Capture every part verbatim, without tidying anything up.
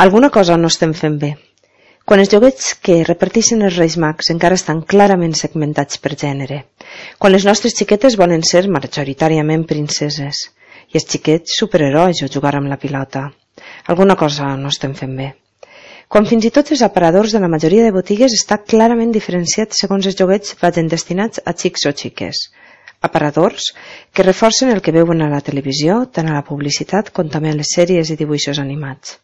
Alguna cosa no estem fent bé. Quan els joguets que reparteixen els Reis Mags encara estan clarament segmentats per gènere, quan les nostres xiquetes volen ser majoritàriament princeses i els xiquets superherois o jugar amb la pilota, alguna cosa no estem fent bé. Quan fins i tot els aparadors de la majoria de botigues està clarament diferenciat segons els joguets vagin destinats a xics o xiques. Aparadors que reforcen el que veuen a la televisió, tant a la publicitat com també a les sèries i dibuixos animats.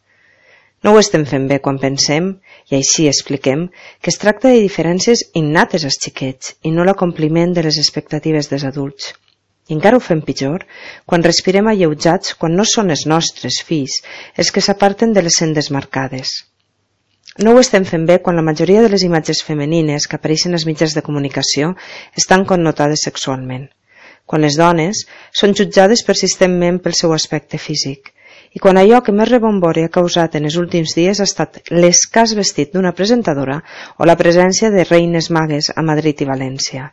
No ho estem fent bé quan pensem, i així expliquem, que es tracta de diferències innates als xiquets i no l'acompliment de les expectatives dels adults. I encara ho fem pitjor quan respirem alleujats quan no són els nostres fills els que s'aparten de les sendes marcades. No ho estem fent bé quan la majoria de les imatges femenines que apareixen als mitjans de comunicació estan connotades sexualment, quan les dones són jutjades persistentment pel seu aspecte físic, i quan allò que més rebombori ha causat en els últims dies ha estat l'escàs vestit d'una presentadora o la presència de reines magues a Madrid i València,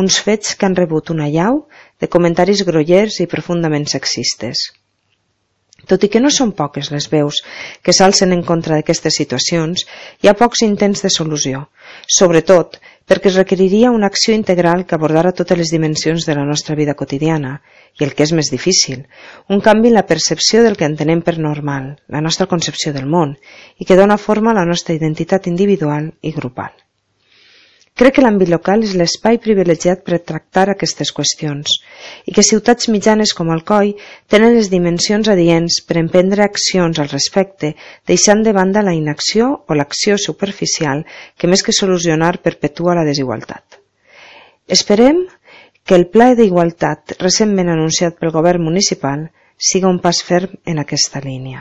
uns fets que han rebut una allau de comentaris grollers i profundament sexistes. Tot i que no són poques les veus que s'alcen en contra d'aquestes situacions, hi ha pocs intents de solució, sobretot perquè es requeriria una acció integral que abordara totes les dimensions de la nostra vida quotidiana, i el que és més difícil, un canvi en la percepció del que entenem per normal, la nostra concepció del món, i que dona forma a la nostra identitat individual i grupal. Crec que l'àmbit local és l'espai privilegiat per tractar aquestes qüestions i que ciutats mitjanes com Alcoi tenen les dimensions adients per emprendre accions al respecte, deixant de banda la inacció o l'acció superficial que més que solucionar perpetua la desigualtat. Esperem que el Pla d'Igualtat recentment anunciat pel govern municipal siga un pas ferm en aquesta línia.